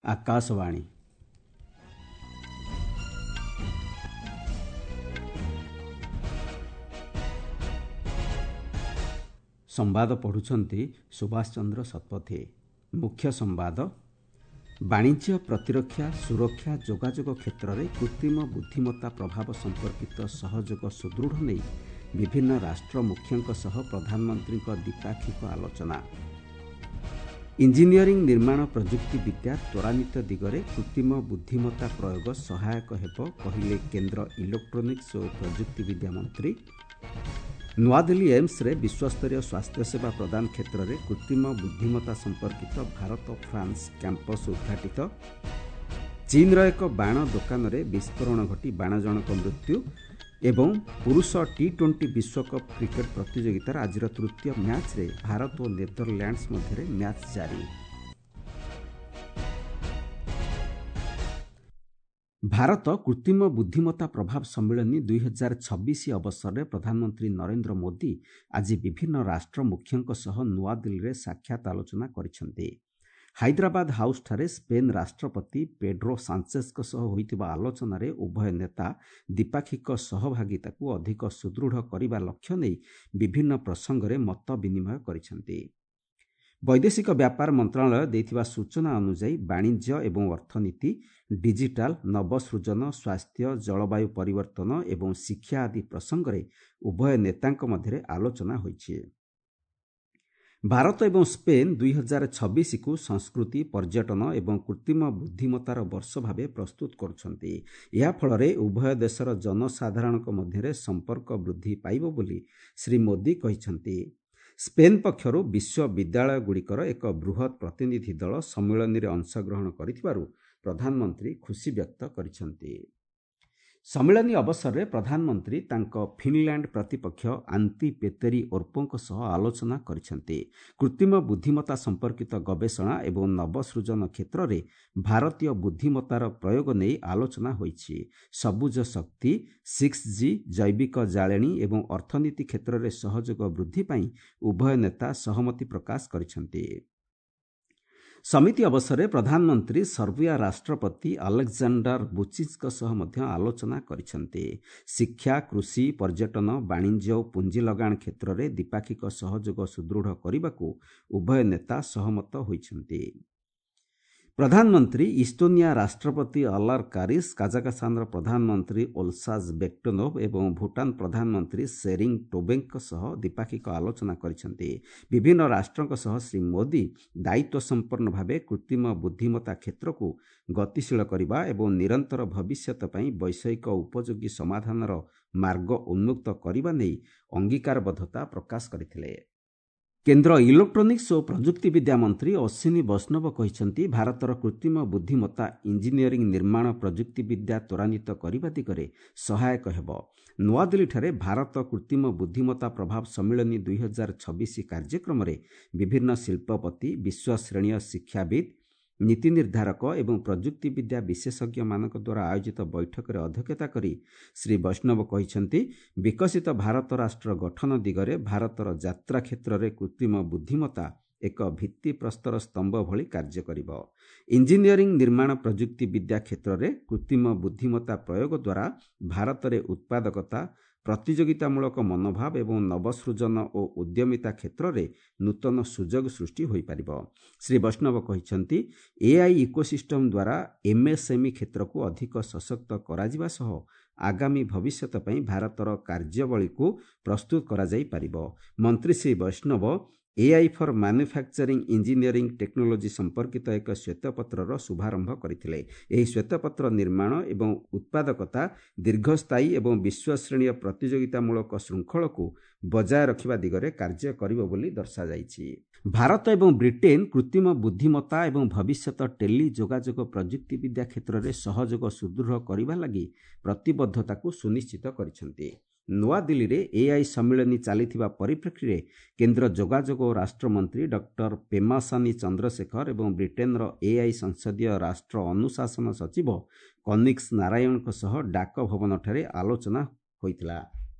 ଆକାଶବାଣୀ। ସମ୍ବାଦ ପଢ଼ୁଛନ୍ତି ସୁଭାଷ ଚନ୍ଦ୍ର ଶତପଥୀ। ମୁଖ୍ୟ ସମ୍ବାଦ। ବାଣିଜ୍ୟ, ପ୍ରତିରକ୍ଷା, ସୁରକ୍ଷା, ଯୋଗାଯୋଗ କ୍ଷେତ୍ରରେ କୃତ୍ରିମ ବୁଦ୍ଧିମତ୍ତା ପ୍ରଭାବ ସମ୍ପର୍କିତ ସହଯୋଗ ସୁଦୃଢ଼ ନେଇ ବିଭିନ୍ନ ରାଷ୍ଟ୍ର ମୁଖ୍ୟଙ୍କ ସହ ପ୍ରଧାନମନ୍ତ୍ରୀଙ୍କ ଦ୍ୱିପାକ୍ଷିକ ଆଲୋଚନା। ଇଞ୍ଜିନିୟରିଂ, ନିର୍ମାଣ ପ୍ରଯୁକ୍ତିବିଦ୍ୟା ତ୍ୱରାନ୍ୱିତ ଦିଗରେ କୃତ୍ରିମ ବୁଦ୍ଧିମତ୍ତା ପ୍ରୟୋଗ ସହାୟକ ହେବ, କହିଲେ କେନ୍ଦ୍ର ଇଲେକ୍ଟ୍ରୋନିକ୍ସ ଓ ପ୍ରଯୁକ୍ତିବିଦ୍ୟା ମନ୍ତ୍ରୀ। ନୂଆଦିଲ୍ଲୀ ଏମ୍ସରେ ବିଶ୍ୱସ୍ତରୀୟ ସ୍ୱାସ୍ଥ୍ୟସେବା ପ୍ରଦାନ କ୍ଷେତ୍ରରେ କୃତ୍ରିମ ବୁଦ୍ଧିମତ୍ତା ସମ୍ପର୍କିତ ଭାରତ ଫ୍ରାନ୍ସ କ୍ୟାମ୍ପସ୍ ଉଦ୍ଘାଟିତ। ଚୀନ୍ର ଏକ ବାଣ ଦୋକାନରେ ବିସ୍ଫୋରଣ ଘଟି 12 ଜଣଙ୍କ ମୃତ୍ୟୁ ଏବଂ ପୁରୁଷ ଟି 20 ବିଶ୍ୱକପ୍ କ୍ରିକେଟ୍ ପ୍ରତିଯୋଗିତାର ଆଜିର ତୃତୀୟ ମ୍ୟାଚ୍ରେ ଭାରତ ଓ ନେଦରଲ୍ୟାଣ୍ଡସ୍ ମଧ୍ୟରେ ମ୍ୟାଚ୍ ଜାରି। ଭାରତ କୃତ୍ରିମ ବୁଦ୍ଧିମତ୍ତା ପ୍ରଭାବ ସମ୍ମିଳନୀ 2026 ଅବସରରେ ପ୍ରଧାନମନ୍ତ୍ରୀ ନରେନ୍ଦ୍ର ମୋଦି ଆଜି ବିଭିନ୍ନ ରାଷ୍ଟ୍ର ମୁଖ୍ୟଙ୍କ ସହ ନୂଆଦିଲ୍ଲୀରେ ସାକ୍ଷାତ ଆଲୋଚନା କରିଛନ୍ତି। ହାଇଦ୍ରାବାଦ ହାଉସ୍ଠାରେ ସ୍ପେନ୍ ରାଷ୍ଟ୍ରପତି ପେଡ୍ରୋ ସାଞ୍ଚେସ୍ଙ୍କ ସହ ହୋଇଥିବା ଆଲୋଚନାରେ ଉଭୟ ନେତା ଦ୍ୱିପାକ୍ଷିକ ସହଭାଗିତାକୁ ଅଧିକ ସୁଦୃଢ଼ କରିବା ଲକ୍ଷ୍ୟ ନେଇ ବିଭିନ୍ନ ପ୍ରସଙ୍ଗରେ ମତ ବିନିମୟ କରିଛନ୍ତି। ବୈଦେଶିକ ବ୍ୟାପାର ମନ୍ତ୍ରଣାଳୟ ଦେଇଥିବା ସୂଚନା ଅନୁଯାୟୀ ବାଣିଜ୍ୟ ଏବଂ ଅର୍ଥନୀତି, ଡିଜିଟାଲ, ନବସୃଜନ, ସ୍ୱାସ୍ଥ୍ୟ, ଜଳବାୟୁ ପରିବର୍ତ୍ତନ ଏବଂ ଶିକ୍ଷା ଆଦି ପ୍ରସଙ୍ଗରେ ଉଭୟ ନେତାଙ୍କ ମଧ୍ୟରେ ଆଲୋଚନା ହୋଇଛି। ଭାରତ ଏବଂ ସ୍ପେନ୍ 2026କୁ ସଂସ୍କୃତି, ପର୍ଯ୍ୟଟନ ଏବଂ କୃତ୍ରିମ ବୁଦ୍ଧିମତ୍ତାର ବର୍ଷ ଭାବେ ପ୍ରସ୍ତୁତ କରୁଛନ୍ତି। ଏହା ଫଳରେ ଉଭୟ ଦେଶର ଜନସାଧାରଣଙ୍କ ମଧ୍ୟରେ ସମ୍ପର୍କ ବୃଦ୍ଧି ପାଇବ ବୋଲି ଶ୍ରୀ ମୋଦି କହିଛନ୍ତି। ସ୍ପେନ୍ ପକ୍ଷରୁ ବିଶ୍ୱବିଦ୍ୟାଳୟଗୁଡ଼ିକର ଏକ ବୃହତ୍ ପ୍ରତିନିଧି ଦଳ ସମ୍ମିଳନୀରେ ଅଂଶଗ୍ରହଣ କରିଥିବାରୁ ପ୍ରଧାନମନ୍ତ୍ରୀ ଖୁସି ବ୍ୟକ୍ତ କରିଛନ୍ତି। ସମ୍ମିଳନୀ ଅବସରରେ ପ୍ରଧାନମନ୍ତ୍ରୀ ତାଙ୍କ ଫିନ୍ଲାଣ୍ଡ ପ୍ରତିପକ୍ଷ ଆନ୍ତି ପେତେରି ଓର୍ପୋଙ୍କ ସହ ଆଲୋଚନା କରିଛନ୍ତି। କୃତ୍ରିମ ବୁଦ୍ଧିମତ୍ତା ସମ୍ପର୍କିତ ଗବେଷଣା ଏବଂ ନବସୃଜନ କ୍ଷେତ୍ରରେ ଭାରତୀୟ ବୁଦ୍ଧିମତ୍ତାର ପ୍ରୟୋଗ ନେଇ ଆଲୋଚନା ହୋଇଛି। ସବୁଜ ଶକ୍ତି, 6G, ଜୈବିକ ଜାଳେଣି ଏବଂ ଅର୍ଥନୀତି କ୍ଷେତ୍ରରେ ସହଯୋଗ ବୃଦ୍ଧି ପାଇଁ ଉଭୟ ନେତା ସହମତି ପ୍ରକାଶ କରିଛନ୍ତି। ସମିତି ଅବସରରେ ପ୍ରଧାନମନ୍ତ୍ରୀ ସର୍ବିଆ ରାଷ୍ଟ୍ରପତି ଆଲେକ୍ଜାଣ୍ଡାର ବୁଚିଚ୍ଙ୍କ ସହ ମଧ୍ୟ ଆଲୋଚନା କରିଛନ୍ତି। ଶିକ୍ଷା, କୃଷି, ପର୍ଯ୍ୟଟନ, ବାଣିଜ୍ୟ ଓ ପୁଞ୍ଜି ଲଗାଣ କ୍ଷେତ୍ରରେ ଦ୍ୱିପାକ୍ଷିକ ସହଯୋଗ ସୁଦୃଢ଼ କରିବାକୁ ଉଭୟ ନେତା ସହମତ ହୋଇଛନ୍ତି। ପ୍ରଧାନମନ୍ତ୍ରୀ ଇଷ୍ଟୋନିଆ ରାଷ୍ଟ୍ରପତି ଅଲାର କାରିସ୍, କାଜାକସ୍ତାନର ପ୍ରଧାନମନ୍ତ୍ରୀ ଓଲସାଜ୍ ବେକ୍ଟୋନୋଭ୍ ଏବଂ ଭୁଟାନ ପ୍ରଧାନମନ୍ତ୍ରୀ ସେରିଂ ଟୋବେଙ୍କ ସହ ଦ୍ୱିପାକ୍ଷିକ ଆଲୋଚନା କରିଛନ୍ତି। ବିଭିନ୍ନ ରାଷ୍ଟ୍ରଙ୍କ ସହ ଶ୍ରୀ ମୋଦି ଦାୟିତ୍ୱ ସମ୍ପନ୍ନ ଭାବେ କୃତ୍ରିମ ବୁଦ୍ଧିମତ୍ତା କ୍ଷେତ୍ରକୁ ଗତିଶୀଳ କରିବା ଏବଂ ନିରନ୍ତର ଭବିଷ୍ୟତ ପାଇଁ ବୈଷୟିକ ଉପଯୋଗୀ ସମାଧାନର ମାର୍ଗ ଉନ୍ମୁକ୍ତ କରିବା ନେଇ ଅଙ୍ଗୀକାରବଦ୍ଧତା ପ୍ରକାଶ କରିଥିଲେ। କେନ୍ଦ୍ର ଇଲେକ୍ଟ୍ରୋନିକ୍ସ ଓ ପ୍ରଯୁକ୍ତିବିଦ୍ୟା ମନ୍ତ୍ରୀ ଅଶ୍ୱିନୀ ବୈଷ୍ଣବ କହିଛନ୍ତି, ଭାରତର କୃତ୍ରିମ ବୁଦ୍ଧିମତ୍ତା ଇଞ୍ଜିନିୟରିଂ, ନିର୍ମାଣ ପ୍ରଯୁକ୍ତିବିଦ୍ୟା ତ୍ୱରାନ୍ୱିତ କରିବା ଦିଗରେ ସହାୟକ ହେବ। ନୂଆଦିଲ୍ଲୀଠାରେ ଭାରତ କୃତ୍ରିମ ବୁଦ୍ଧିମତ୍ତା ପ୍ରଭାବ ସମ୍ମିଳନୀ 2026 କାର୍ଯ୍ୟକ୍ରମରେ ବିଭିନ୍ନ ଶିଳ୍ପପତି, ବିଶ୍ୱଶ୍ରେଣୀୟ ଶିକ୍ଷାବିତ୍, ନୀତି ନିର୍ଦ୍ଧାରକ ଏବଂ ପ୍ରଯୁକ୍ତିବିଦ୍ୟା ବିଶେଷଜ୍ଞମାନଙ୍କ ଦ୍ୱାରା ଆୟୋଜିତ ବୈଠକରେ ଅଧ୍ୟକ୍ଷତା କରି ଶ୍ରୀ ବୈଷ୍ଣବ କହିଛନ୍ତି, ବିକଶିତ ଭାରତ ରାଷ୍ଟ୍ର ଗଠନ ଦିଗରେ ଭାରତର ଯାତ୍ରା କ୍ଷେତ୍ରରେ କୃତ୍ରିମ ବୁଦ୍ଧିମତ୍ତା ଏକ ଭିତ୍ତିପ୍ରସ୍ତର ସ୍ତମ୍ଭ ଭଳି କାର୍ଯ୍ୟ କରିବ। ଇଞ୍ଜିନିୟରିଂ, ନିର୍ମାଣ ପ୍ରଯୁକ୍ତିବିଦ୍ୟା କ୍ଷେତ୍ରରେ କୃତ୍ରିମ ବୁଦ୍ଧିମତ୍ତା ପ୍ରୟୋଗ ଦ୍ୱାରା ଭାରତରେ ଉତ୍ପାଦକତା, ପ୍ରତିଯୋଗିତାମୂଳକ ମନୋଭାବ ଏବଂ ନବସୃଜନ ଓ ଉଦ୍ୟମିତା କ୍ଷେତ୍ରରେ ନୂତନ ସୁଯୋଗ ସୃଷ୍ଟି ହୋଇପାରିବ। ଶ୍ରୀ ବୈଷ୍ଣବ କହିଛନ୍ତି, ଏଆଇ ଇକୋସିଷ୍ଟମ୍ ଦ୍ୱାରା ଏମ୍ଏସ୍ଏମ୍ଇ କ୍ଷେତ୍ରକୁ ଅଧିକ ସଶକ୍ତ କରାଯିବା ସହ ଆଗାମୀ ଭବିଷ୍ୟତ ପାଇଁ ଭାରତର କାର୍ଯ୍ୟାବଳୀକୁ ପ୍ରସ୍ତୁତ କରାଯାଇପାରିବ। ମନ୍ତ୍ରୀ Shri Vaishnaw AI for manufacturing engineering technology ସମ୍ପର୍କିତ ଏକ ଶ୍ୱେତପତ୍ରର ଶୁଭାରମ୍ଭ କରିଥିଲେ। ଏହି ଶ୍ୱେତପତ୍ର ନିର୍ମାଣ ଏବଂ ଉତ୍ପାଦକତା, ଦୀର୍ଘସ୍ଥାୟୀ ଏବଂ ବିଶ୍ୱଶ୍ରେଣୀୟ ପ୍ରତିଯୋଗିତାମୂଳକ ଶୃଙ୍ଖଳକୁ ବଜାୟ ରଖିବା ଦିଗରେ କାର୍ଯ୍ୟ କରିବ ବୋଲି ଦର୍ଶାଯାଇଛି। ଭାରତ ଏବଂ ବ୍ରିଟେନ୍ କୃତ୍ରିମ ବୁଦ୍ଧିମତ୍ତା ଏବଂ ଭବିଷ୍ୟତ ଟେଲି ଯୋଗାଯୋଗ ପ୍ରଯୁକ୍ତିବିଦ୍ୟା କ୍ଷେତ୍ରରେ ସହଯୋଗ ସୁଦୃଢ଼ କରିବା ଲାଗି ପ୍ରତିବଦ୍ଧତାକୁ ସୁନିଶ୍ଚିତ କରିଛନ୍ତି। ନୂଆଦିଲ୍ଲୀରେ ଏଆଇ ସମ୍ମିଳନୀ ଚାଲିଥିବା ପରିପ୍ରେକ୍ଷୀରେ କେନ୍ଦ୍ର ଯୋଗାଯୋଗ ଓ ରାଷ୍ଟ୍ରମନ୍ତ୍ରୀ ଡକ୍ଟର ପେମାସାନି ଚନ୍ଦ୍ରଶେଖର ଏବଂ ବ୍ରିଟେନ୍ର ଏଆଇ ସଂସଦୀୟ ରାଷ୍ଟ୍ର ଅନୁଶାସନ ସଚିବ କନିକ୍ସ ନାରାୟଣଙ୍କ ସହ ଡାକ ଭବନଠାରେ ଆଲୋଚନା ହୋଇଥିଲା।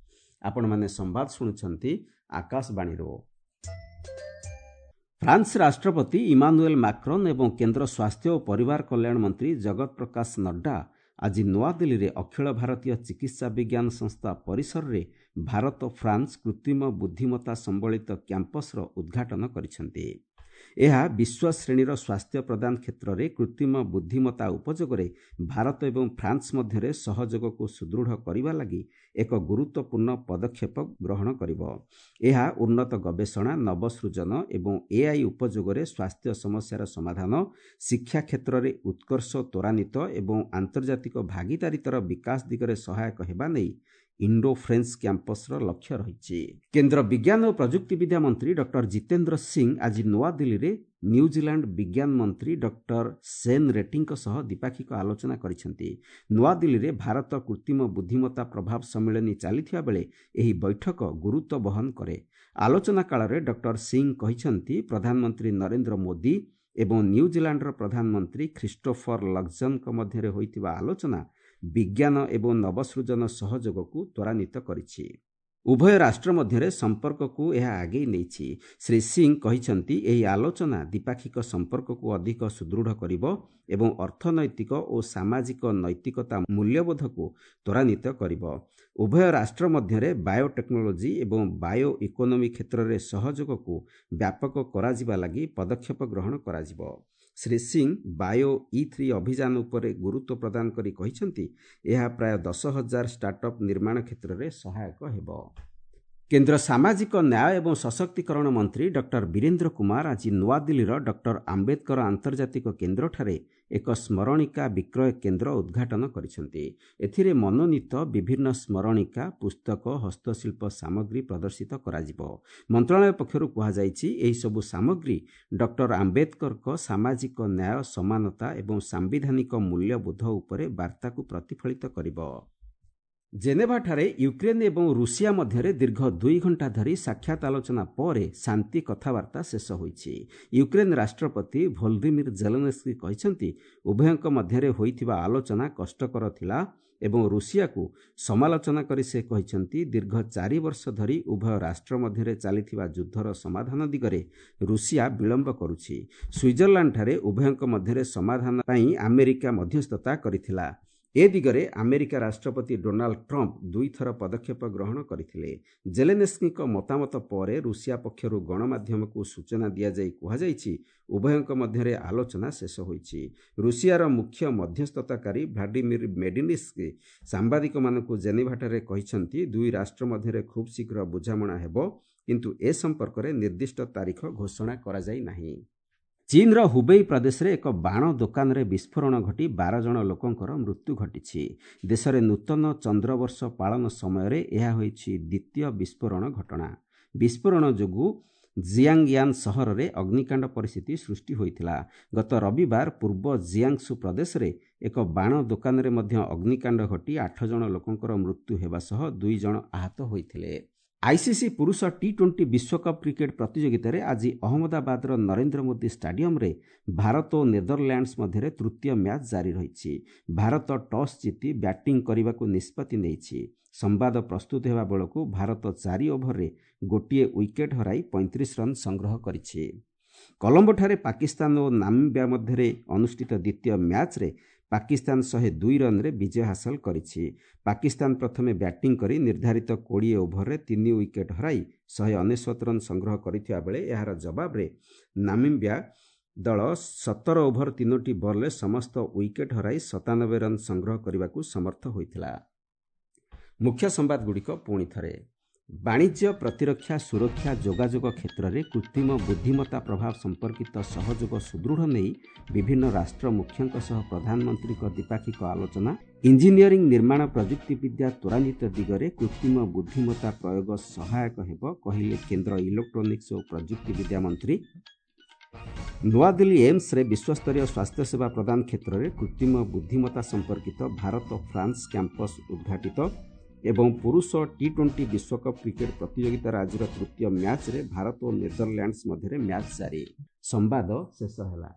ଆପଣମାନେ ସମ୍ବାଦ ଶୁଣୁଛନ୍ତି ଆକାଶବାଣୀରୁ। ଫ୍ରାନ୍ସ ରାଷ୍ଟ୍ରପତି ଇମାନୁଏଲ୍ ମାକ୍ରନ୍ ଏବଂ କେନ୍ଦ୍ର ସ୍ୱାସ୍ଥ୍ୟ ଓ ପରିବାର କଲ୍ୟାଣ ମନ୍ତ୍ରୀ ଜଗତ ପ୍ରକାଶ ନଡ୍ଡା ଆଜି ନୂଆଦିଲ୍ଲୀରେ ଅଖିଳ ଭାରତୀୟ ଚିକିତ୍ସା ବିଜ୍ଞାନ ସଂସ୍ଥା ପରିସରରେ ଭାରତ ଫ୍ରାନ୍ସ କୃତ୍ରିମ ବୁଦ୍ଧିମତ୍ତା ସମ୍ବଳିତ କ୍ୟାମ୍ପସ୍ର ଉଦ୍ଘାଟନ କରିଛନ୍ତି। ଏହା ବିଶ୍ୱ ଶ୍ରେଣୀର ସ୍ୱାସ୍ଥ୍ୟ ପ୍ରଦାନ କ୍ଷେତ୍ରରେ କୃତ୍ରିମ ବୁଦ୍ଧିମତ୍ତା ଉପଯୋଗରେ ଭାରତ ଏବଂ ଫ୍ରାନ୍ସ ମଧ୍ୟରେ ସହଯୋଗକୁ ସୁଦୃଢ଼ କରିବା ଲାଗି ଏକ ଗୁରୁତ୍ୱପୂର୍ଣ୍ଣ ପଦକ୍ଷେପ ଗ୍ରହଣ କରିବ। ଏହା ଉନ୍ନତ ଗବେଷଣା, ନବସୃଜନ ଏବଂ ଏଆଇ ଉପଯୋଗରେ ସ୍ୱାସ୍ଥ୍ୟ ସମସ୍ୟାର ସମାଧାନ, ଶିକ୍ଷା କ୍ଷେତ୍ରରେ ଉତ୍କର୍ଷ ତ୍ୱରାନ୍ୱିତ ଏବଂ ଆନ୍ତର୍ଜାତିକ ଭାଗିଦାରିତାର ବିକାଶ ଦିଗରେ ସହାୟକ ହେବା ନେଇ ଇଣ୍ଡୋ ଫ୍ରେଞ୍ଚ କ୍ୟାମ୍ପସ୍ର ଲକ୍ଷ୍ୟ ରହିଛି। କେନ୍ଦ୍ର ବିଜ୍ଞାନ ଓ ପ୍ରଯୁକ୍ତିବିଦ୍ୟା ମନ୍ତ୍ରୀ ଡକ୍ଟର ଜିତେନ୍ଦ୍ର ସିଂ ଆଜି ନୂଆଦିଲ୍ଲୀରେ ନ୍ୟୁଜିଲାଣ୍ଡ ବିଜ୍ଞାନ ମନ୍ତ୍ରୀ ଡକ୍ଟର ସେନ୍ ରେଟିଙ୍କ ସହ ଦ୍ୱିପାକ୍ଷିକ ଆଲୋଚନା କରିଛନ୍ତି। ନୂଆଦିଲ୍ଲୀରେ ଭାରତ କୃତ୍ରିମ ବୁଦ୍ଧିମତ୍ତା ପ୍ରଭାବ ସମ୍ମିଳନୀ ଚାଲିଥିବା ବେଳେ ଏହି ବୈଠକ ଗୁରୁତ୍ୱ ବହନ କରେ। ଆଲୋଚନା କାଳରେ ଡକ୍ଟର ସିଂ କହିଛନ୍ତି, ପ୍ରଧାନମନ୍ତ୍ରୀ ନରେନ୍ଦ୍ର ମୋଦି ଏବଂ ନ୍ୟୁଜିଲାଣ୍ଡର ପ୍ରଧାନମନ୍ତ୍ରୀ ଖ୍ରୀଷ୍ଟୋଫର ଲକ୍ସନଙ୍କ ମଧ୍ୟରେ ହୋଇଥିବା ଆଲୋଚନା ବିଜ୍ଞାନ ଏବଂ ନବସୃଜନ ସହଯୋଗକୁ ତ୍ୱରାନ୍ୱିତ କରିଛି। ଉଭୟ ରାଷ୍ଟ୍ର ମଧ୍ୟରେ ସମ୍ପର୍କକୁ ଏହା ଆଗେଇ ନେଇଛି। ଶ୍ରୀ ସିଂ କହିଛନ୍ତି, ଏହି ଆଲୋଚନା ଦ୍ୱିପାକ୍ଷିକ ସମ୍ପର୍କକୁ ଅଧିକ ସୁଦୃଢ଼ କରିବ ଏବଂ ଅର୍ଥନୈତିକ ଓ ସାମାଜିକ ନୈତିକତା ମୂଲ୍ୟବୋଧକୁ ତ୍ୱରାନ୍ୱିତ କରିବ। ଉଭୟ ରାଷ୍ଟ୍ର ମଧ୍ୟରେ ବାୟୋଟେକ୍ନୋଲୋଜି ଏବଂ ବାୟୋ ଇକୋନୋମି କ୍ଷେତ୍ରରେ ସହଯୋଗକୁ ବ୍ୟାପକ କରାଯିବା ଲାଗି ପଦକ୍ଷେପ ଗ୍ରହଣ କରାଯିବ। ଶ୍ରୀ ସିଂ ବାୟୋ ଇ3 ଅଭିଯାନ ଉପରେ ଗୁରୁତ୍ୱ ପ୍ରଦାନ କରି କହିଛନ୍ତି, ଏହା ପ୍ରାୟ 10,000 ଷ୍ଟାର୍ଟଅପ୍ ନିର୍ମାଣ କ୍ଷେତ୍ରରେ ସହାୟକ ହେବ। କେନ୍ଦ୍ର ସାମାଜିକ ନ୍ୟାୟ ଏବଂ ସଶକ୍ତିକରଣ ମନ୍ତ୍ରୀ ଡକ୍ଟର ବୀରେନ୍ଦ୍ର କୁମାର ଆଜି ନୂଆଦିଲ୍ଲୀର ଡକ୍ଟର ଆମ୍ବେଦକର ଆନ୍ତର୍ଜାତିକ କେନ୍ଦ୍ରଠାରେ ଏକ ସ୍ମରଣିକା ବିକ୍ରୟ କେନ୍ଦ୍ର ଉଦ୍ଘାଟନ କରିଛନ୍ତି। ଏଥିରେ ମନୋନୀତ ବିଭିନ୍ନ ସ୍ମରଣିକା, ପୁସ୍ତକ, ହସ୍ତଶିଳ୍ପ ସାମଗ୍ରୀ ପ୍ରଦର୍ଶିତ କରାଯିବ। ମନ୍ତ୍ରଣାଳୟ ପକ୍ଷରୁ କୁହାଯାଇଛି, ଏହିସବୁ ସାମଗ୍ରୀ ଡକ୍ଟର ଆମ୍ବେଦକରଙ୍କ ସାମାଜିକ ନ୍ୟାୟ, ସମାନତା ଏବଂ ସାମ୍ବିଧାନିକ ମୂଲ୍ୟବୋଧ ଉପରେ ବାର୍ତ୍ତାକୁ ପ୍ରତିଫଳିତ କରିବ। ଜେନେଭାଠାରେ ୟୁକ୍ରେନ୍ ଏବଂ ରୁଷିଆ ମଧ୍ୟରେ ଦୀର୍ଘ 2 ଘଣ୍ଟା ଧରି ସାକ୍ଷାତ ଆଲୋଚନା ପରେ ଶାନ୍ତି କଥାବାର୍ତ୍ତା ଶେଷ ହୋଇଛି। ୟୁକ୍ରେନ୍ ରାଷ୍ଟ୍ରପତି ଭୋଲଦିମିର ଜେଲେନସ୍କି କହିଛନ୍ତି, ଉଭୟଙ୍କ ମଧ୍ୟରେ ହୋଇଥିବା ଆଲୋଚନା କଷ୍ଟକର ଥିଲା ଏବଂ ରୁଷିଆକୁ ସମାଲୋଚନା କରି ସେ କହିଛନ୍ତି, ଦୀର୍ଘ 4 ବର୍ଷ ଧରି ଉଭୟ ରାଷ୍ଟ୍ର ମଧ୍ୟରେ ଚାଲିଥିବା ଯୁଦ୍ଧର ସମାଧାନ ଦିଗରେ ରୁଷିଆ ବିଳମ୍ବ କରୁଛି। ସୁଇଜରଲ୍ୟାଣ୍ଡଠାରେ ଉଭୟଙ୍କ ମଧ୍ୟରେ ସମାଧାନ ପାଇଁ ଆମେରିକା ମଧ୍ୟସ୍ଥତା କରିଥିଲା। ଏ ଦିଗରେ ଆମେରିକା ରାଷ୍ଟ୍ରପତି ଡୋନାଲ୍ଡ ଟ୍ରମ୍ପ 2 ଥର ପଦକ୍ଷେପ ଗ୍ରହଣ କରିଥିଲେ। ଜେଲେନେସ୍କିଙ୍କ ମତାମତ ପରେ ରୁଷିଆ ପକ୍ଷରୁ ଗଣମାଧ୍ୟମକୁ ସୂଚନା ଦିଆଯାଇ କୁହାଯାଇଛି, ଉଭୟଙ୍କ ମଧ୍ୟରେ ଆଲୋଚନା ଶେଷ ହୋଇଛି। ରୁଷିଆର ମୁଖ୍ୟ ମଧ୍ୟସ୍ଥତାକାରୀ ଭ୍ଲାଡିମିର ମେଡିନିସ୍କି ସାମ୍ବାଦିକମାନଙ୍କୁ ଜେନେଭାଠାରେ କହିଛନ୍ତି, ଦୁଇ ରାଷ୍ଟ୍ର ମଧ୍ୟରେ ଖୁବ୍ ଶୀଘ୍ର ବୁଝାମଣା ହେବ, କିନ୍ତୁ ଏ ସମ୍ପର୍କରେ ନିର୍ଦ୍ଦିଷ୍ଟ ତାରିଖ ଘୋଷଣା କରାଯାଇ ନାହିଁ। ଚୀନ୍ର ହୁବେଇ ପ୍ରଦେଶରେ ଏକ ବାଣ ଦୋକାନରେ ବିସ୍ଫୋରଣ ଘଟି 12 ଜଣ ଲୋକଙ୍କର ମୃତ୍ୟୁ ଘଟିଛି। ଦେଶରେ ନୂତନ ଚନ୍ଦ୍ରବର୍ଷ ପାଳନ ସମୟରେ ଏହା ହୋଇଛି ଦ୍ୱିତୀୟ ବିସ୍ଫୋରଣ ଘଟଣା। ବିସ୍ଫୋରଣ ଯୋଗୁଁ ଜିଆଙ୍ଗୟାନ୍ ସହରରେ ଅଗ୍ନିକାଣ୍ଡ ପରିସ୍ଥିତି ସୃଷ୍ଟି ହୋଇଥିଲା। ଗତ ରବିବାର ପୂର୍ବ ଜିଆଙ୍ଗସୁ ପ୍ରଦେଶରେ ଏକ ବାଣ ଦୋକାନରେ ମଧ୍ୟ ଅଗ୍ନିକାଣ୍ଡ ଘଟି 8 ଜଣ ଲୋକଙ୍କର ମୃତ୍ୟୁ ହେବା ସହ 2 ଜଣ ଆହତ ହୋଇଥିଲେ। ଆଇସିସି ପୁରୁଷ ଟି-20 ବିଶ୍ୱକପ୍ କ୍ରିକେଟ୍ ପ୍ରତିଯୋଗିତାରେ ଆଜି ଅହମ୍ମଦାବାଦର ନରେନ୍ଦ୍ର ମୋଦି ଷ୍ଟାଡିୟମରେ ଭାରତ ଓ ନେଦରଲ୍ୟାଣ୍ଡସ୍ ମଧ୍ୟରେ ତୃତୀୟ ମ୍ୟାଚ୍ ଜାରି ରହିଛି। ଭାରତ ଟସ୍ ଜିତି ବ୍ୟାଟିଂ କରିବାକୁ ନିଷ୍ପତ୍ତି ନେଇଛି। ସମ୍ବାଦ ପ୍ରସ୍ତୁତ ହେବା ବେଳକୁ ଭାରତ 4 ଓଭରରେ 1 ୱିକେଟ୍ ହରାଇ 35 ରନ୍ ସଂଗ୍ରହ କରିଛି। କଲମ୍ବୋଠାରେ ପାକିସ୍ତାନ ଓ ନାମିବିଆ ମଧ୍ୟରେ ଅନୁଷ୍ଠିତ ଦ୍ୱିତୀୟ ମ୍ୟାଚ୍ରେ ପାକିସ୍ତାନ 102 ରନ୍ରେ ବିଜୟ ହାସଲ କରିଛି। ପାକିସ୍ତାନ ପ୍ରଥମେ ବ୍ୟାଟିଂ କରି ନିର୍ଦ୍ଧାରିତ 20 ଓଭରରେ 3 ୱିକେଟ୍ ହରାଇ 199 ରନ୍ ସଂଗ୍ରହ କରିଥିବା ବେଳେ ଏହାର ଜବାବରେ ନାମିବିଆ ଦଳ 17 ଓଭର 3ଟି ବଲ୍ରେ ସମସ୍ତ ୱିକେଟ୍ ହରାଇ 97 ରନ୍ ସଂଗ୍ରହ କରିବାକୁ ସମର୍ଥ ହୋଇଥିଲା। ମୁଖ୍ୟ ସମ୍ବାଦଗୁଡ଼ିକ ପୁଣି ଥରେ। ବାଣିଜ୍ୟ, ପ୍ରତିରକ୍ଷା, ସୁରକ୍ଷା, ଯୋଗାଯୋଗ କ୍ଷେତ୍ରରେ କୃତ୍ରିମ ବୁଦ୍ଧିମତ୍ତା ପ୍ରଭାବ ସମ୍ପର୍କିତ ସହଯୋଗ ସୁଦୃଢ଼ ନେଇ ବିଭିନ୍ନ ରାଷ୍ଟ୍ର ମୁଖ୍ୟଙ୍କ ସହ ପ୍ରଧାନମନ୍ତ୍ରୀଙ୍କ ଦ୍ୱିପାକ୍ଷିକ ଆଲୋଚନା। ଇଞ୍ଜିନିୟରିଂ, ନିର୍ମାଣ, ପ୍ରଯୁକ୍ତିବିଦ୍ୟା ତ୍ୱରାନ୍ୱିତ ଦିଗରେ କୃତ୍ରିମ ବୁଦ୍ଧିମତ୍ତା ପ୍ରୟୋଗ ସହାୟକ ହେବ, କହିଲେ କେନ୍ଦ୍ର ଇଲେକ୍ଟ୍ରୋନିକ୍ସ ଓ ପ୍ରଯୁକ୍ତିବିଦ୍ୟା ମନ୍ତ୍ରୀ। ନୂଆଦିଲ୍ଲୀ ଏମ୍ସରେ ବିଶ୍ୱସ୍ତରୀୟ ସ୍ୱାସ୍ଥ୍ୟସେବା ପ୍ରଦାନ କ୍ଷେତ୍ରରେ କୃତ୍ରିମ ବୁଦ୍ଧିମତ୍ତା ସମ୍ପର୍କିତ ଭାରତ ଫ୍ରାନ୍ସ କ୍ୟାମ୍ପସ୍ ଉଦ୍ଘାଟିତ। ଏବଂ ପୁରୁଷ ଟି-20 ବିଶ୍ୱକପ୍ କ୍ରିକେଟ୍ ପ୍ରତିଯୋଗିତାର ଆଜିର ତୃତୀୟ ମ୍ୟାଚ୍ରେ ଭାରତ ଓ ନେଦରଲ୍ୟାଣ୍ଡସ୍ ମଧ୍ୟରେ ମ୍ୟାଚ୍ ଜାରି। ସମ୍ବାଦ ଶେଷ ହେଲା।